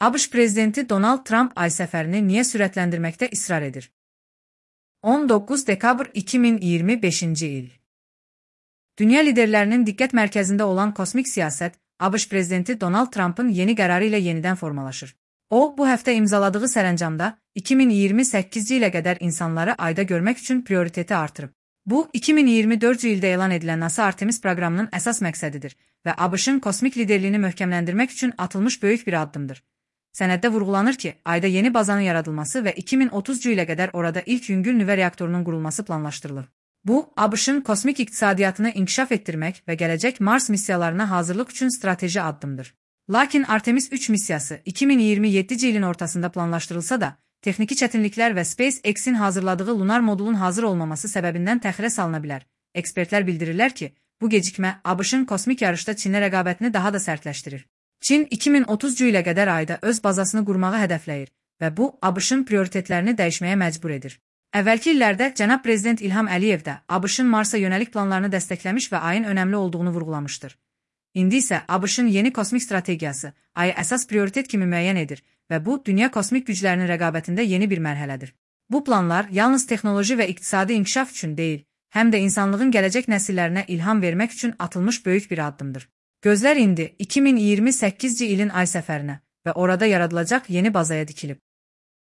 ABŞ prezidenti Donald Trump ay səfərini niyə sürətləndirməkdə israr edir? 19 dekabr 2025-ci il. Dünya liderlərinin diqqət mərkəzində olan kosmik siyasət, ABŞ prezidenti Donald Trump'ın yeni qərarı ilə yenidən formalaşır. O, bu həftə imzaladığı sərəncamda 2028-ci ilə qədər insanları ayda görmək üçün prioriteti artırıb. Bu, 2024-cü ildə elan edilən NASA Artemis proqramının əsas məqsədidir və ABŞ-ın kosmik liderliyini möhkəmləndirmək üçün atılmış böyük bir addımdır. Sənəddə vurğulanır ki, ayda yeni bazanın yaradılması və 2030-cu ilə qədər orada ilk yüngül nüvə reaktorunun qurulması planlaşdırılır. Bu, ABŞ-ın kosmik iqtisadiyyatını inkişaf etdirmək və gələcək Mars missiyalarına hazırlıq üçün strateji addımdır. Lakin Artemis 3 missiyası 2027-ci ilin ortasında planlaşdırılsa da, texniki çətinliklər və SpaceX-in hazırladığı lunar modulun hazır olmaması səbəbindən təxirə salına bilər. Ekspertlər bildirirlər ki, bu gecikmə ABŞ-ın kosmik yarışda Çinlə rəqabətini daha da sərtləşdirir. Çin 2030-cu ilə qədər ayda öz bazasını qurmağı hədəfləyir və bu, ABŞ-ın prioritetlərini dəyişməyə məcbur edir. Əvvəlki illərdə cənab prezident İlham Əliyev də ABŞ-ın Marsa yönəlik planlarını dəstəkləmiş və ayın önəmli olduğunu vurğulamışdır. İndi isə ABŞ-ın yeni kosmik strategiyası ayı əsas prioritet kimi müəyyən edir və bu, dünya kosmik güclərinin rəqabətində yeni bir mərhələdir. Bu planlar yalnız texnoloji və iqtisadi inkişaf üçün deyil, həm də insanlığın gələcək nəsillərinə ilham vermək üçün atılmış böyük bir addımdır. Gözlər indi 2028-ci ilin ay səfərinə və orada yaradılacaq yeni bazaya dikilib.